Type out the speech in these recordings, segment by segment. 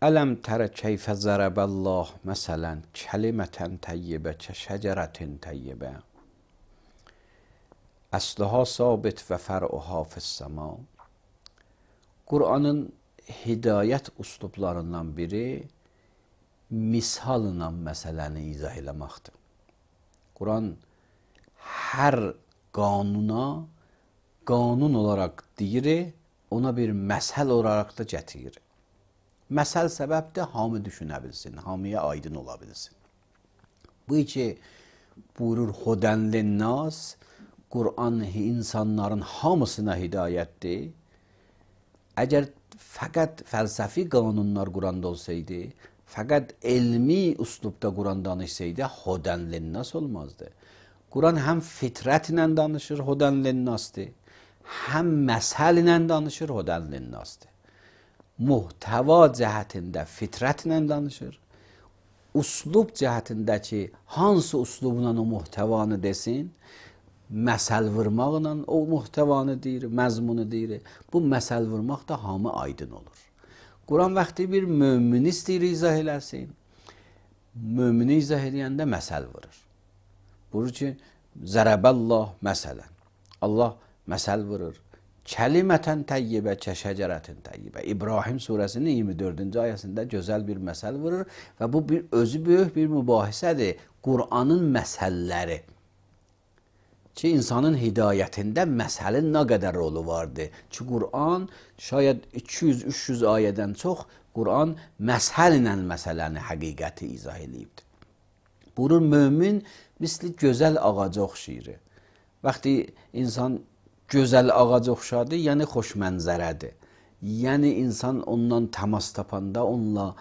Ələm tərə keyfə zərəbəllah məsələn kəlimətən təyyibə kəşəcərətin təyyibə əsluha sabit və fər'uha fissəma. Qur'anın hidayət üslublarından biri misalla məsələni izah eləməkdir. Qur'an hər qanuna qanun olaraq deyir, ona bir məsəl olaraq da gətirir. Məsəl səbəbdir, hamı düşünə bilsin, hamıya aydın ola bilsin. Bu ki, buyurur Hudən linnas, Qur'an insanların hamısına hidayətdir. Əgər fəqət fəlsəfi qanunlar Qur'anda olsaydı, fəqət elmi üslubda Qur'an danışsaydı, Hudən linnas olmazdı. Qur'an həm fitrətlə danışır, Hudən linnasdır, həm məsəl ilə danışır, Hudən linnasdır. Muhtəva cəhətində fitrətlə danışır. Üslub cəhətində ki, hansı üslubla o muhtəvanı desin, məsəl vurmaqla o muhtəvanı deyir, məzmunu deyir. Bu məsəl vurmaq da hamı aydın olur. Qur'an vaxtı bir mömini istəyir izah eləsin. Mömini izah eləyəndə məsəl vurur. Buyurur ki, zərəbəllah məsələn. Allah məsəl vurur. Kəlimətən təyyibə kəşəcərətin təyyibə. İbrahim surəsinin 24-cü ayəsində gözəl bir məsəl vurur və bu özü böyük bir mübahisədir. Qur'anın məsəlləri ki, insanın hidayətində məsəlin nə qədər rolu vardır. Ki, Qur'an şayad 200-300 ayədən çox Qur'an məsəl ilə məsələni, həqiqəti izah edibdir. Buyurur, mömin misli gözəl ağaca oxşayır. Vaxtı insan gözəl ağac oxşadı, yəni xoş mənzərədir. Yəni insan ondan təmas tapanda, onunla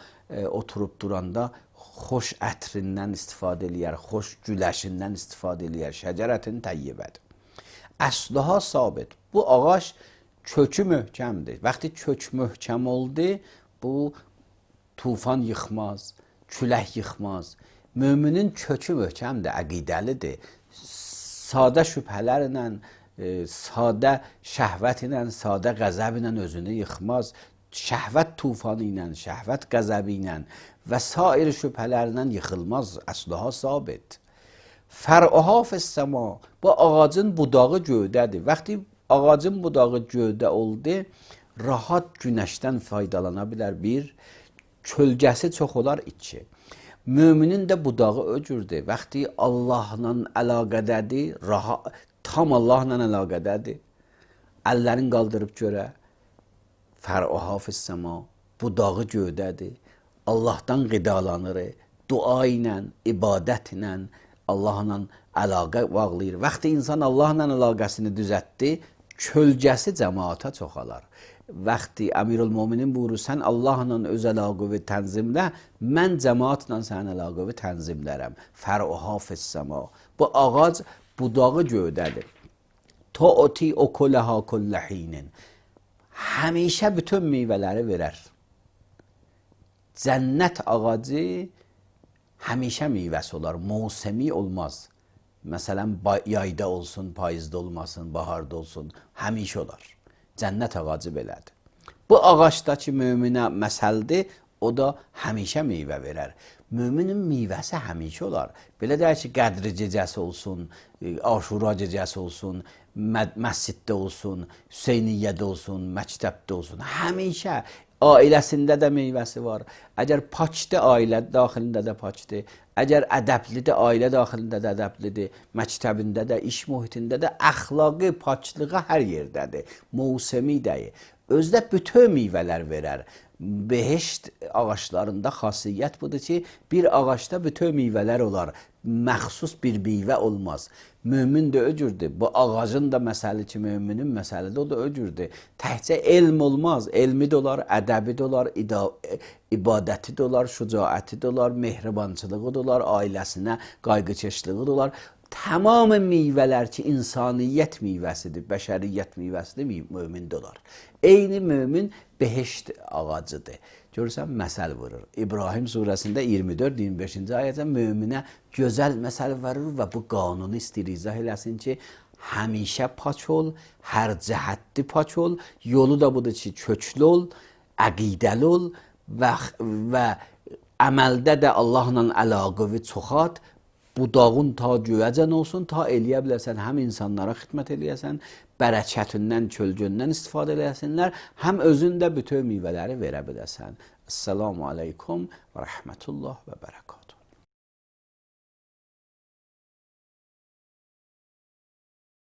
oturub duranda xoş ətrindən istifadə eləyər, xoş güləşindən istifadə eləyər. Şəcərətin təyyibədir. Əsluha sabit. Bu ağac kökü möhkəmdir. Vaxtı kök möhkəm oldu, bu tufan yıxmaz, külək yıxmaz. Müminin kökü möhkəmdir, əqidəlidir. Sadə şübhələrlə, sadə şəhvət ilə, sadə qəzəb ilə özünü yıxmaz. Şəhvət tufanı ilə, şəhvət qəzəbi ilə və sair şübhələrlə yıxılmaz. Əsluha sabit. Fər'uha fissəma. Bu ağacın budağı göydədir. Vaxtı ağacın budağı göydə oldu, rahat günəşdən faydalana bilər bir, kölgəsi çox olar iki. Müminin də budağı öcürdür. Vaxtı Allahla əlaqədədir, tam Allahla əlaqədədir. Əllərin qaldırıb görə, fər'uha fissəma, budağı göydədir. Allahdan qidalanır, dua ilə, ibadət ilə, Allahla əlaqə bağlayır. Vaxtı insan Allahla əlaqəsini düzətdi, kölgəsi cəmaata çoxalar. Vaxtı Əmirül-Müminin buyurur, sən Allahla öz əlaqəvi tənzimlə, mən cəmaatla sənin əlaqəvi tənzimlərəm. Fər'uha fissəma. Bu ağac budağı göydədir. Tu'ti ukulaha kulləhinin. Həmişə bütün meyvələri verər. Cənnət ağacı həmişə meyvəsi olar, mövsemi olmaz. Məsələn, yayda olsun, payızda olmasın, baharda olsun, həmişə olar. Cənnət ağacı belədir. Bu ağacdakı möminə məsəldir, o da həmişə meyvə verər. Müminin meyvəsi həmişə olar. Belə deyək ki, qədri gecəsi olsun, aşura gecəsi olsun, məsciddə olsun, Hüseyniyyədə olsun, məktəbdə olsun. Həmişə ailəsində də meyvəsi var. Əgər pakdır, ailə daxilində də pakdır. Əgər ədəblidir, ailə daxilində də ədəblidir. Məktəbində də, iş mühitində də, əxlaqı, paklığı hər yerdədir. Mövsemi deyil. Özdə bütün meyvələr verər. Behişt ağaçlarında xasiyyət budur ki, bir ağaçda bütün meyvələr olar. Məxsus bir meyvə olmaz. Mömin də öcürdür. Bu ağacın da məsəli ki, möminin məsəlidir, o da öcürdür. Təhcə elm olmaz. Elmi də olar, ədəbi də olar, ibadəti də olar, şücaəti də olar, mehribançılığı da olar, ailəsinə qayğıkeşliği də olar. Tamamı meyvələr ki, insaniyyət meyvəsidir, bəşəriyyət meyvəsidir, mömin də olar. Eyni mömin behişt ağacıdır. Görürsən, məsəl vurur. İbrahim surəsində 24-25-ci ayədə möminə gözəl məsəl vurur və bu qanunu istəyir izah eləsin ki, həmişə paç ol, hər cəhətli paç ol, yolu da budur ki, köklü ol, əqidəli ol, və əməldə də Allahla əlaqəvi çoxalt, budağın ta göyəcən olsun, ta eləyə bilərsən, həm insanlara xidmət eləyəsən, bərəkətindən, kölgündən istifadə eləyəsinlər, həm özün də bütün meyvələri verə biləsən. Esselamu aleykum və rəhmətullah və bərəkət.